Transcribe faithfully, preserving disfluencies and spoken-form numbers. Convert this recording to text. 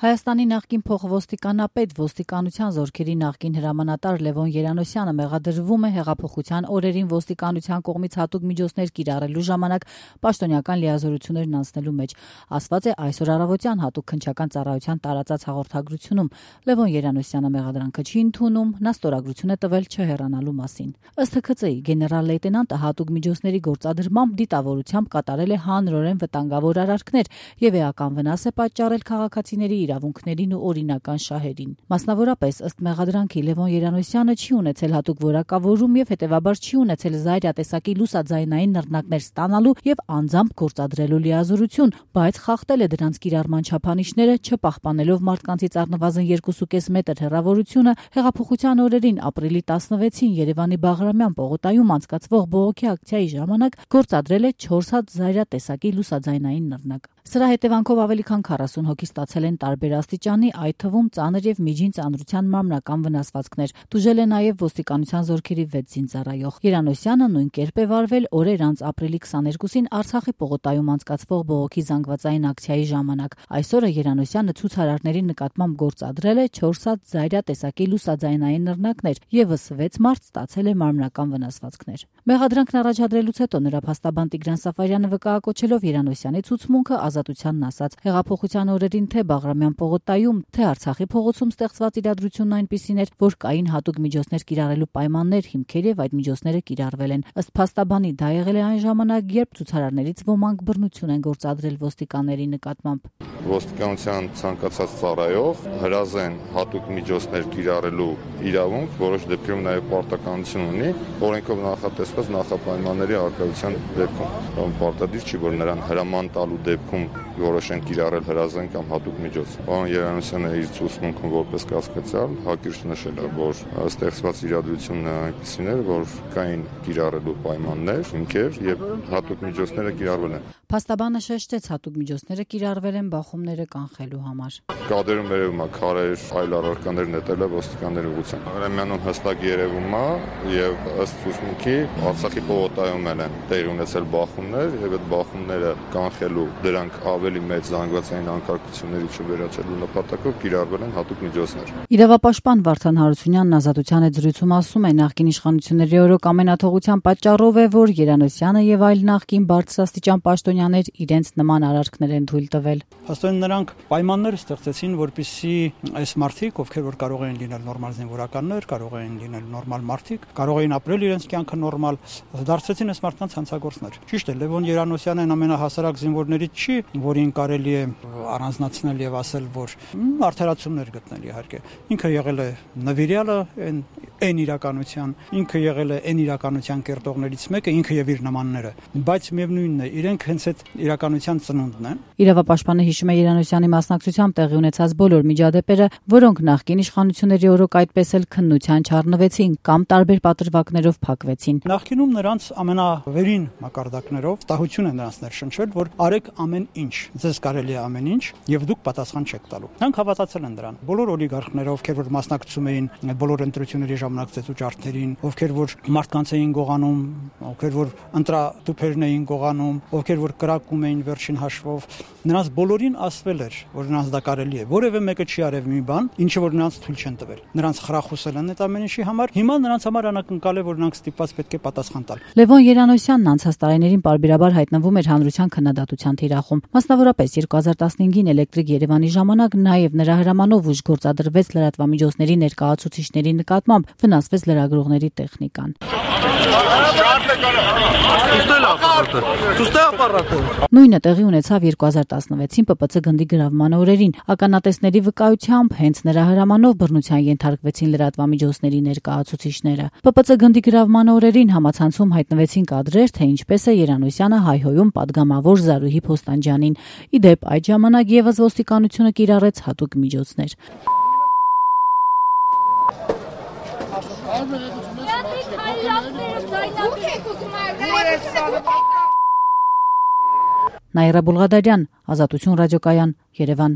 Հայաստանի նախկին փոխոստիկանապետ, ոստիկանության զորքերի նախկին հրամանատար Լևոն Երանոսյանը մեղադրվում է հեղափոխության օրերին ոստիկանության կողմից հատուկ միջոցներ կիրառելու ժամանակ պաշտոնական լիազորություններն անցնելու մեջ, ասված է այսօր առավոտյան հատուկ քննչական ծառայության տարածած հաղորդագրությունում։ Լևոն Երանոսյանը մեղադրանքը չի ընդունում, նա ստորագրություն է տվել չհեռանալու մասին։ Ըստ Հ Ք Ծ-ի գեներալ լեյտենանտը հատուկ միջոցների գործադրմամբ դիտավորությամբ կատարել է հանրորեն վտանգավոր արարքներ եւ էական վնաս է պատճառել քաղաքացիների իրավունքներին ու օրինական շահերին։ Մասնավորապես, ըստ մեղադրանքի, Լևոն Երանոսյանը չի ունեցել հատուկ որակավորում եւ հետեւաբար չի ունեցել զայրյա տեսակի լուսաձայնային նռնակներ ստանալու եւ անձամբ գործադրելու լիազորություն, բայց խախտել է դրանց կիրառման չափանիշները, չպահպանելով մարդկանցից առնվազն երկուսուկես մետր հեռավորությունը հեղափոխության օրերին ապրիլի տասնվեցին Երևանի Բաղրամյան պողոտայում անցկացվող բողոքի ակցիայի ժամանակ գործադրել է չորս հատ զայրյա տեսակի լուսաձայնային նռնակ։ Սրա հետևանքով ավելի քան քառասուն հոգի ստացել են տարբեր աստիճանի, այդ թվում ծանր եւ միջին ծանրության մարմնական վնասվածքներ։ Տուժել է նաեւ ոստիկանության զորքերի վեց զինծառայող։ Երանոսյանը նույն կերպ է վարվել օրեր անց ապրիլի քսաներկուսին Արցախի պողոտայում անցկացվող բողոքի զանգվածային ակցիայի ժամանակ։ Այսօրը Երանոսյանը ցուցարարների նկատմամբ գործադրել է չորս հատ զայրյա տեսակի լուսաձայնային նռնակներ, եւս վեց մարդ ստացել է մարմնական վնասվածքներ։ Մեղադրանքն առաջադրելուց հետո նրա փաստաբան Տիգրան Սաֆարյանը վկայակոչելով Երանոսյանի ցուցմունքը ազատությանն ասաց. հեղափոխության օրերին թե Բաղրամյան պողոտայում, թե Արցախի փողոցում ստեղծված իրադրությունն այնպիսին էր, որ կային հատուկ միջոցներ կիրառելու պայմաններ, հիմքեր եւ այդ միջոցները կիրառվել են։ Ըստ փաստաբանի դա եղել է այն ժամանակ, երբ ցուցարարներից ոմանք բռնություն են գործադրել ոստիկանների նկատմամբ։ Ոստիկանության ցանկացած ծառայող հրազեն հատուկ միջոցներ կիրառելու իրավունք, որոշ դեպքերում նաեւ պարտականություն ունի, օրենքով նախատեսված նախապայմանների արկայության դեպքում։ Պարտադիր չի, որ նրան հրաման տալու դեպքում որոշեն կիրառել հրազեն կամ հատուկ միջոց։ Պարոն Երանոսյանը իր ցուցմունքում որպես կասկածյալ հակիրճ նշել է, որ ստեղծված իրադրությունն այնպիսին էր, որ կային կիրառելու պայմաններ, հիմքեր եւ հատուկ միջոցները կիրառվել են։ Փաստաբանը շեշտեց, հատուկ միջոցները կիրառվել են բախումները կանխելու համար։ Կադրում երևում է քարեր, այլ առարկաներ նետել է ոստիկանների ուղղությամբ։ Արեմյանում հստակ երևում է եւ ըստ ցուցմունքի Արցախի պողոտայում են տեղի ունեցել բախումներ եւ այդ բախումները կանխելու դրանք ավելի մեծ զանգվածային անկարգությունների չվերացելու նպատակով կիրառվել են հատուկ միջոցներ։ Իրավապաշտպան Վարդան Հարությունյանն Ազատության հետ զրույցում ասում է, նախկին իշխանությունների օրոք ամենաթողության պատճառով է, որ Երանոսյանը եւ այլ նախկին բարձրաստիճան պաշտոնյաներ իրենց նման արարքներ են թույլ տվել։ Հաստատ նրանք պայմաններ ստեղծեցին, որպեսզի այս մարդիկ, ովքեր որ կարող են լինել նորմալ զինվորականներ, կարող են լինել նորմալ մարդիկ, կարող էին ապրել իրենց կյանքը նորմալ, դարձրեցին այս մարդկանց հանցագործներ։ Ճիշտ է, Լևոն Երանոսյանն ամենահասարակ զինվորներից չի, որին կարելի է առանձնացնել եւ ասել, որ արդարացումներ գտնել իհարկե։ Ինքը եղել է նվիրյալը այն այն իրականության, ինքը եղել է այն իրականության կերտողներից մեկը, ինքը եւ իր նմանները, բայց միևնույնն է, իրենք հենց այդ իրականության ծնունդն են։ Իրավապաշտպանը հիշում է Երանոսյանի մասնակցությամբ տեղի ունեցած բոլոր միջադեպերը, որոնք նախկին իշխանությունների օրոք այդպես էլ քննության չառնվեցին կամ տարբեր պատրվակներով փակվեցին։ Նախկինում նրանց ամենավերին մակարդակներով տահություն են նրանց ներշնչվել, որ արեք ամեն ինչ, ձեզ կարելի է ամեն ինչ եւ դուք պատասխան չեք տալու։ Նրանք հավատացել են դրան։ Բոլոր օլիգարխները, ովքեր որ մասնակցում էին բոլոր ընտրությունների ժամանակ ծեծուճարդերին, ովքեր որ մարդկանց էին գողանում, ովքեր որ ընտրատուփերն էին գողանում, ովքեր որ կրակում էին վերջին հաշվով, նրանց բոլորին ասվել էր, որ նրանց դա կարելի է։ Որևէ մեկը չի արև մի բան, ինչը որ նրանց թույլ չեն տվել։ Նրանց խրախուսել են այդ ամեն ինչի համար։ Հիմա նրանց համար անակնկալ է, որ նրանք ստիպված պետք է պատասխան տալ։ Լևոն Երանոսյանն անցած տարիներին պարբերաբար հայտնվում էր հանրության քննադատության թիրախում։ Մասնավորապես երկու հազար տասնհինգին Էլեկտրիկ Երևանի ժամանակ նաև նրա հրամանով ուժ գործադրվեց լրատվամիջոցների ներկայացուցիչների նկատմամբ, վնասվեց լրագրողների տեխնիկան։ Նույնը տեղի ունեցավ երկու հազար տասնվեցին Պ Պ Ց գնդի գրավման օրերին։ Ականատեսների վկայությամբ հենց նրա հրամանով բռնության ենթարկվեցին լրատվամիջոցների ներկայացուցիչները։ Պ Պ Ց գնդի գրավման օրերին համացանցում հայտնվեցին կադրեր, թե ինչպես է Երանոսյանը հայհոյում падգամավոր Զարուհի Փոստանջյանին։ Ի դեպ, այդ ժամանակ եւս ոստիկանությունը կիրառեց հատուկ միջոցներ։ Նաիրա Բուլղադարյան, Ազատություն ռադիոկայան, Երևան։